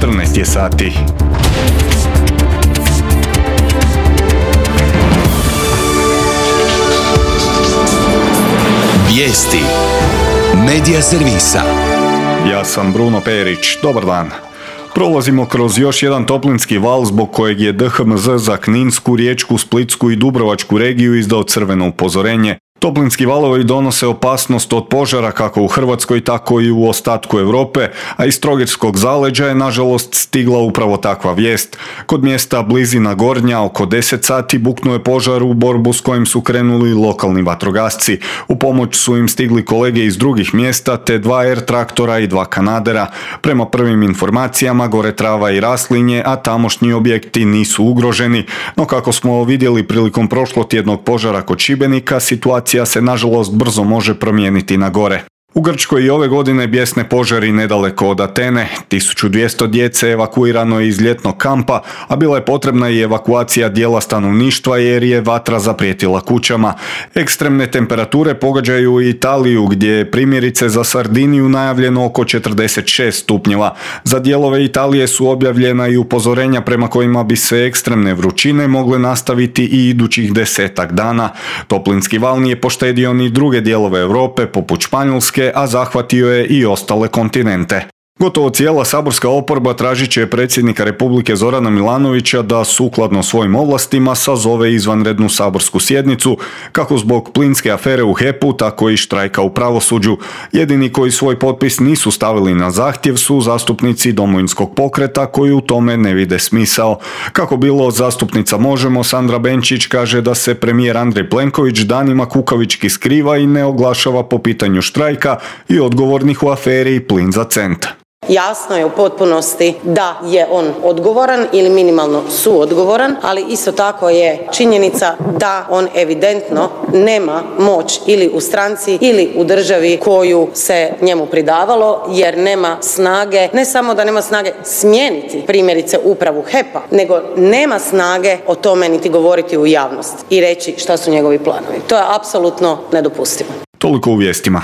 14 je sati. Vijesti Medija servisa. Ja sam Bruno Perić, dobar dan. Prolazimo kroz još jedan toplinski val zbog kojeg je DHMZ za Kninsku, Riječku, Splitsku i Dubrovačku regiju izdao crveno upozorenje. Toplinski valovi donose opasnost od požara kako u Hrvatskoj, tako i u ostatku Europe, a iz Trogirskog zaleđa je nažalost stigla upravo takva vijest. Kod mjesta Blizina Gornja oko 10 sati buknuo je požar u borbu s kojim su krenuli lokalni vatrogasci. U pomoć su im stigli kolege iz drugih mjesta te 2 air traktora i 2 kanadera. Prema prvim informacijama gore trava i raslinje, a tamošnji objekti nisu ugroženi, no kako smo vidjeli prilikom prošlotjednog požara kod Šibenika, situacija se nažalost brzo može promijeniti na gore. U Grčkoj i ove godine bijesne požari nedaleko od Atene. 1200 djece evakuirano je iz ljetnog kampa, a bila je potrebna i evakuacija dijela stanovništva jer je vatra zaprijetila kućama. Ekstremne temperature pogađaju i Italiju gdje je primjerice za Sardiniju najavljeno oko 46 stupnjeva. Za dijelove Italije su objavljena i upozorenja prema kojima bi se ekstremne vrućine mogle nastaviti i idućih 10 dana. Toplinski val nije poštedio ni druge dijelove Europe poput Španjolske, a zahvatio je i ostale kontinente. Gotovo cijela saborska oporba tražit će predsjednika Republike Zorana Milanovića da sukladno svojim ovlastima sazove izvanrednu saborsku sjednicu, kako zbog plinske afere u HEP-u, tako i štrajka u pravosuđu. Jedini koji svoj potpis nisu stavili na zahtjev su zastupnici Domovinskog pokreta koji u tome ne vide smisao. Kako bilo, zastupnica Možemo Sandra Benčić kaže da se premijer Andrej Plenković danima kukavički skriva i ne oglašava po pitanju štrajka i odgovornih u aferi Plin za cent. Jasno je u potpunosti da je on odgovoran ili minimalno suodgovoran, ali isto tako je činjenica da on evidentno nema moć ili u stranci ili u državi koju se njemu pridavalo, jer nema snage, ne samo da nema snage smijeniti primjerice upravu HEP-a, nego nema snage o tome niti govoriti u javnost i reći šta su njegovi planovi. To je apsolutno nedopustivo. Toliko u vijestima.